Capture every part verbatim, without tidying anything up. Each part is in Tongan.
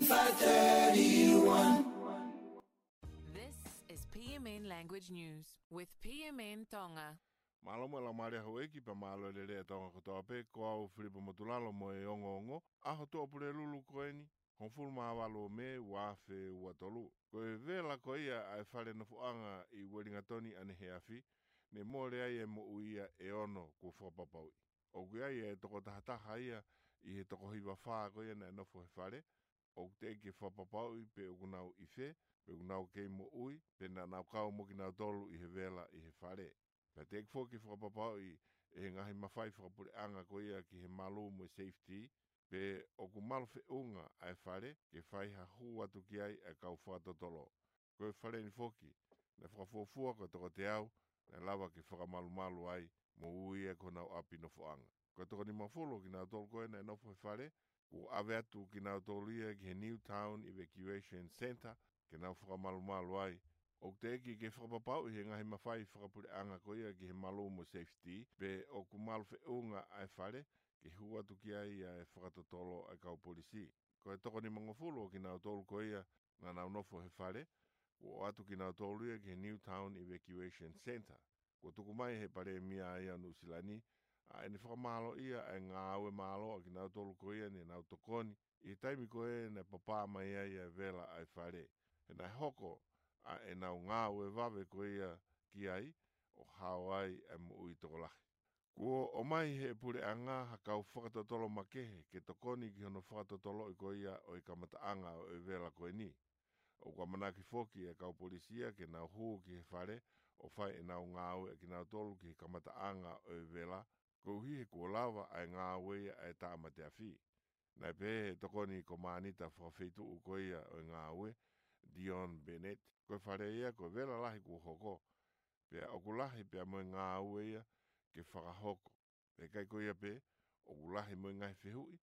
Five thirty-one. This is P M N Language News with P M N Tonga. Mālō mo e laumālie houʻeiki pea mālō e lelei ʻa Tonga kotoa pē, ko au Filipa Motulalo mo e ongoongo ʻa e Tuʻapulelulu ko eni, hongofulu mā valu ʻo Mē, ua afe ua tolu. Ko e vela ko ia ʻa e fale nofoʻanga ʻi Uelingatoni ʻaneheafi, ne mole ai e moʻui ia ʻe ono kuo fakapapauʻi. ʻOku ʻi ai e toko tahataha ia ʻi he toko hiva fā ko ia naʻe nofo he fale, ʻoku teʻeki ke fakapapauʻi pe ʻoku nau ʻi fē, pe ʻoku nau kei moʻui, pe naʻa nau kau mo kinautolu ʻi he vela ʻi he fale. Pea teʻeki foki ke fakapapauʻi ʻe he ngaahi mafai fakapuleʻanga ko ia ki he malū mo e safety, pe ʻoku malu feʻunga ʻa e fale ke fai ha hū atu ki ai ʻa e kau fakatotolo. Ko e fale ni foki, naʻe fakafuofua ko e toko teau naʻe lava ke fakamalumalu ai mo ui ia ki honau ʻapi nofoʻanga. Ko e toko nimangofulu ʻo kinautolu ko ē naʻe nofo he fale, kuo ʻave atu kinautolu ia ki he Newtown Evacuation Centre ke nau fakamalumalu ai. ʻOku teʻeki ke fakapapauʻi ʻe he ngaahi mafai fakapuleʻanga ko ia ki he malū mo e safety, pe ʻoku malu feʻunga ʻa e fale ke hū atu ki ai ʻa e fakatotolo ʻa e kau polisi. Ko e toko nimangofulu ʻo kinautolu ko ia naʻa nau nofo he fale, kuo ʻoatu kinautolu ia ki he Newtown Evacuation Centre. Kuo tuku mai ʻe he Palēmia ia ʻo Nuʻusila ni ʻa ʻene fakamālōʻia ʻa e ngāue mālō ʻa kinautolu ko ia ne nau tokoni ʻi he taimi ko ē naʻe papā mai ai ʻa e vela ʻa e fale, he naʻe hoko ʻa ʻenau ngāue vave ko ia ki ai ʻo hao ai ʻa e moʻui tokolahi. Kuo ʻomai ʻe he puleʻanga ha kau fakatotolo makehe ke tokoni ki hono fakatotoloʻi ko ia ʻo e kamataʻanga ʻo e vela ko eni. ʻOku ʻamanaki foki ʻa e kau polisi ia ke nau hū ki he fale ʻo fai ʻenau ngāue ʻa kinautolu ki he kamataʻanga ʻo e vela, koeʻuhi he kuo lava ʻa e ngāue ia ʻa e tāmate afi. Naʻe pehē ʻe he tokoni kōmānita fakafeituʻu ko ia ʻo e ngāue, Dion Bennett, ko e fale ia ko e vela lahi kuo hoko, pea ʻoku lahi pea mo e ngāue ia ke fakahoko. Pea ʻikai ko ia pē, ʻoku lahi mo e ngaahi fehuʻi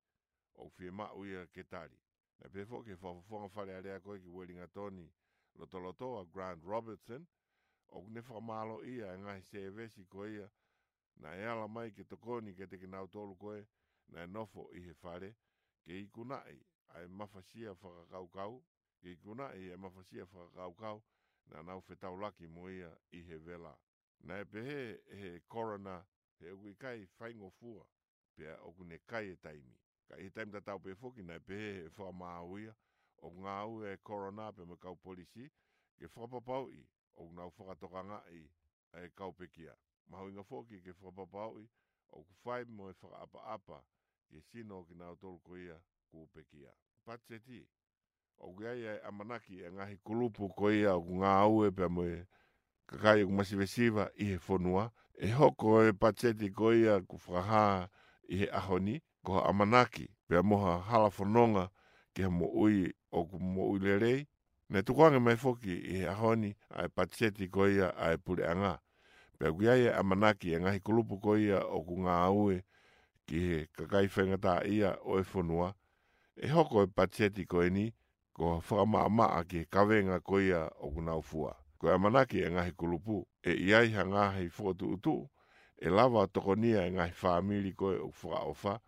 ʻoku fiemaʻu ia ke tali. Naʻe pehē foki ʻe he fakafofonga Fale Alea ko ē ki Uelingatoni lotolotoa, Grant Robertson, ʻoku ne fakamālōʻia ʻa e ngaahi sēvesi ko ia naʻe ala mai ke tokoni kiate kinautolu ko ē naʻe nofo ʻi he fale, ke ikunaʻi ʻa e mafasia fakakaukau, ke ikunaʻi ʻa e mafasia fakakaukau naʻa nau fetaulaki mo ia ʻi he vela. Naʻe pehē ʻe he coroner he ʻoku ʻikai faingofua, pea ʻoku ne kai e taimi. Ka ʻi he taimi tatau pē foki naʻe pehē ʻe he fakamaau ia ʻoku ngāue ʻa e coroner pea mo e kau polisi ke fakapapauʻi ʻoku nau fakatokangaʻi ʻa e kau pekia. Mahuʻinga foki ke fakapapauʻi ʻoku fai mo e fakaʻapaʻapa ki he sino ʻo kinautolu ko ia kuo pekia. Patiseti. ʻOku ʻi ai ʻa e ʻamanaki ʻa e ngaahi kulupu ko ia ʻoku ngāue pea mo e kakai ʻoku masivesiva ʻi he fonua, ʻe hoko e patiseti ko ia kuo fakahā ʻi he ʻaho ni, ko ha ʻamanaki pea mo ha hala fononga ki ha moʻui ʻoku moʻui lelei. Naʻe tukuange mai foki ʻi he ʻaho ni ʻa e patiseti ko ia ʻa e puleʻanga. Pea ʻoku ʻi ai ʻa e ʻamanaki ʻa e ngaahi kulupu ko ia ʻoku ngāue ki he kakai faingataʻaʻia ʻo e fonua, ʻe hoko e patiseti ko eni ko ha fakamaʻamaʻa ki he kavenga ko ia ʻoku nau fua. Ko e ʻamanaki ʻa e ngaahi kulupu, ʻe ʻi ai ha ngaahi fokotuʻutuʻu ʻe lava ʻo tokonia ʻa e ngaahi fāmili ko ē ʻoku fakaʻofa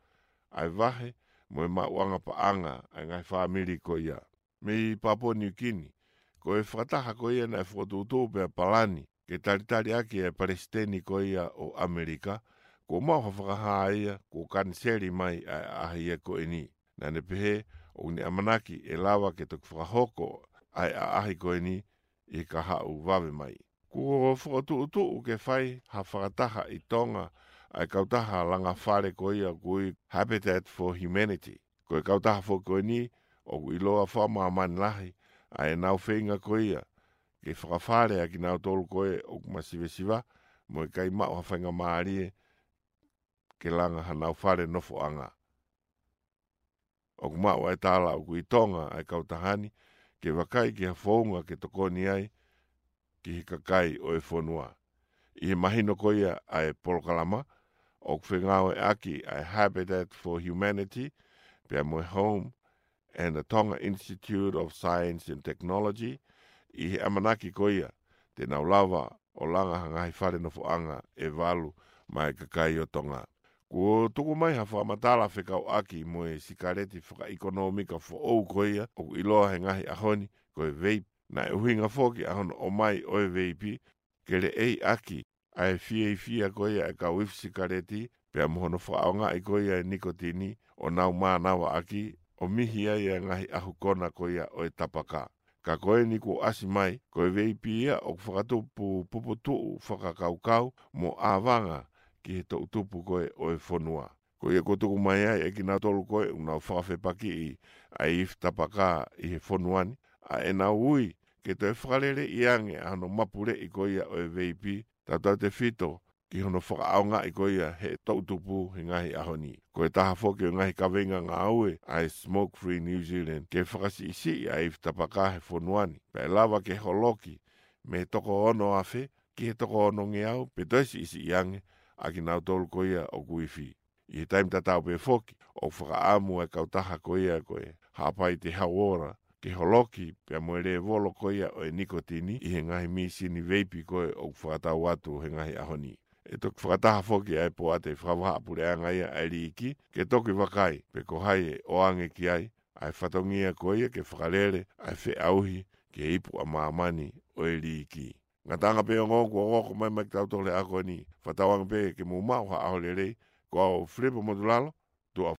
ʻa e vahe mo e maʻuʻanga paʻanga ʻa e ngaahi fāmili ko ia. Mei Papua Niukini, ko e fakataha ko ia naʻe fokotuʻutuʻu pea palani ke talitali ʻaki ʻa e palesiteni ko ia ʻo ʻAmelika, kuo maʻu ha fakahā ia kuo kaniseli mai ʻa e ʻaʻahi ia ko eni. Naʻa ne pehē ʻoku ne ʻamanaki ʻe lava ke toki fakahoko ʻa e ʻaʻahi ko eni ʻi he kahaʻu vave mai. Kuo fokotuʻutuʻu ke fai ha fakataha ʻi Tonga ʻa e kautaha langa fale ko ia ʻoku ui Habitat for Humanity. Ko e kautaha foki ko eni ʻoku ʻiloa fakamāmani lahi ʻa ʻenau feinga ko ia ke fakafale ʻa kinautolu ko ē ʻoku masivesiva mo e ʻikai maʻu ha faingamālie ke langa hanau fale nofoʻanga. ʻOku maʻu ʻa e tala ʻoku ʻi Tonga ʻa e kautaha ni ke vakai ki ha founga ke tokoni ai ki he kakai ʻo e fonua. ʻI he mahino ko ia ʻa e polokalama, ʻoku fengāueʻaki ʻa e Habitat for Humanity pea mo e Home and the Tonga Institute of Science and Technology ʻi he ʻamanaki ko ia te nau lava ʻo langa ha ngaahi fale nofoʻanga ʻe valu maʻa e kakai ʻo Tonga. Kuo tuku mai ha fakamatala fekauʻaki mo e sikaleti fakaʻekonōmika foʻou ko ia ʻoku ʻiloa he ngaahi ʻaho ni ko e vape. Naʻe ʻuhinga foki ʻa hono ʻomai ʻo e vape ke leʻeiʻaki ʻa e fiefia ko ia e kau ifi sikaleti, pea mo hono fakaʻaongaʻi ko ia e nikotini ʻo nau mānavaʻaki ʻo mihi ai e ngaahi ʻahu kona ko ia ʻo e tapaka. Ka ko eni kuo ʻasi mai, ko e vape ia ʻoku fakatupu puputuʻu fakakaukau mo ʻāvanga ki he toʻutupu ko ē ʻo e fonua. Ko ia kuo tuku mai ai ʻe kinautolu ko ē ʻoku nau fakafepakiʻi ʻa e ifi tapaka ʻi he fonua ni, ʻa ʻenau ui ke toe fakaleleiʻi ange ʻa hono mapuleʻi ko ia ʻo e vape, tautautefito ki hono fakaʻaongaʻi ko ia he toʻutupu he ngaahi ʻaho ni. Ko e taha foki ʻo e ngaahi kaveinga ngāue ʻa e Smoke Free New Zealand ke fakasiʻisiʻi ʻa e ifi tapaka he fonua ni, pea ʻe lava ke holoki mei he toko ono afe ki he toko onongeau, pe toe siʻisiʻi ange ʻa kinautolu ko ia ʻoku ifi. ʻI he taimi tatau pē foki, ʻoku fakaʻamu e kautaha ko ia ko e Haʻapai Te Hauora ke holoki pea mo e lēvolo ko ia ʻo e nikotini ʻi he ngaahi mīsini vape ko ē ʻoku fakatau atu he ngaahi ʻaho ni. ʻE toki fakataha foki ʻa e poate fakavahaʻapuleʻanga ia ʻa e liiki ke toki vakai pe ko hai ʻe ʻoange ki ai ʻa e fatongia ko ia ke fakalele ʻa e feʻauhi ki he ipu ʻa māmani ʻo e liiki. Ngataʻanga pē ongo kuo hoko mai mai kitautolu he ako ni. Fakatauange pē ke mou maʻu ha ʻaho lelei. Ko au Filipo Motulalo,